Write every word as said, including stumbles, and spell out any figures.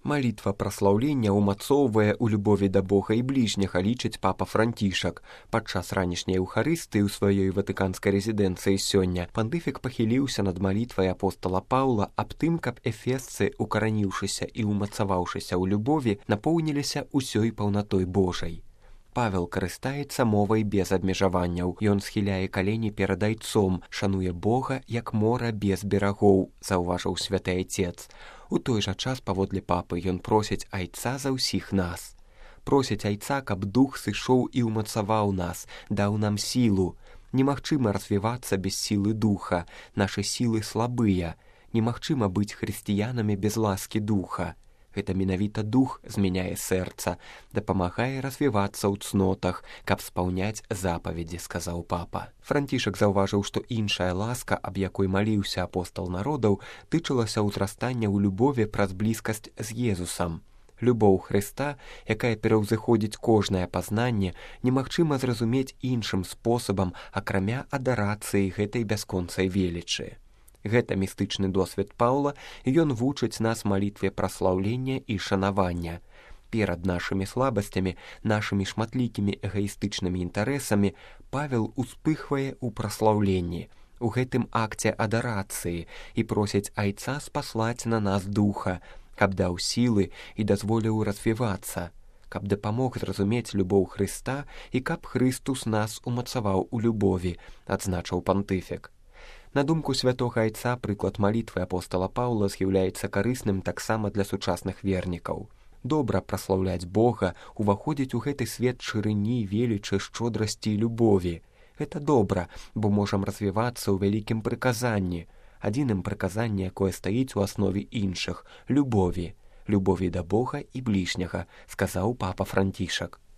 Малітва праслаўлення ўмацоўвае ў любові да Бога і бліжняга, лічыць папа Францішак. Падчас ранішняй еўхарыстыі ў сваёй ватыканскай рэзідэнцыі сёння пантыфік пахіліўся над малітвай апостала Паўла аб тым, каб эфесцы, укараніўшыся і ўмацаваўшыся ў любові, напоўніліся ўсёй паўнатой Божай. Павел карыстаецца мовай без абмежаванняў. Ён схіляе калені перад айцом, шануе Бога, як мора без берагоў, заўважыў святы айцец. У той жа час, паводле папы, ён просіць айца за ўсіх нас. Просіць айца, каб дух сышоў і ўмацаваў нас, даў нам сілу. Немагчыма развівацца без сілы духа, нашы сілы слабыя. Немагчыма быць хрысціянамі без ласкі духа. Гэта менавіта дух змяняе сэрца, дапамагае развівацца ў цнотах, каб спаўняць запаведзі, сказаў папа. Францішак заўважыў, што іншая ласка, аб якой маліўся апостал народаў, тычылася ўзрастання ў любові праз блізкасць з Езусам. Любоў Хрыста, якая пераўзыходзіць кожнае пазнанне, немагчыма зразумець іншым спосабам, акрамя адарацыі гэтай бясконцай велічы. Гэта містычны досвед Паўла, і ён вучыць нас малітве праслаўлення і шанавання. Перад нашымі слабасцямі, нашымі шматлікімі эгаістычнымі інтарэсамі Павел успыхвае ў праслаўленні, у гэтым акце адарацыі, і просіць айца спаслаць на нас духа, каб даў сілы і дазволіў развівацца, каб дапамог зразумець любоў Хрыста і каб Хрыстус нас умацаваў у любові, адзначыў пантыфік. На думку святога айца, прыклад малітвы апостала Паўла з'яўляецца карысным таксама для сучасных вернікаў. Добра праслаўляць Бога, уваходзіць у гэты свет шырыні, велічы, шчодрасці і любові. Гэта добра, бо можам развівацца ў вялікім прыказанні, адзіным прыказанні, якое стаіць у аснове іншых — любові, любові да Бога і бліжняга, сказаў папа Францішак.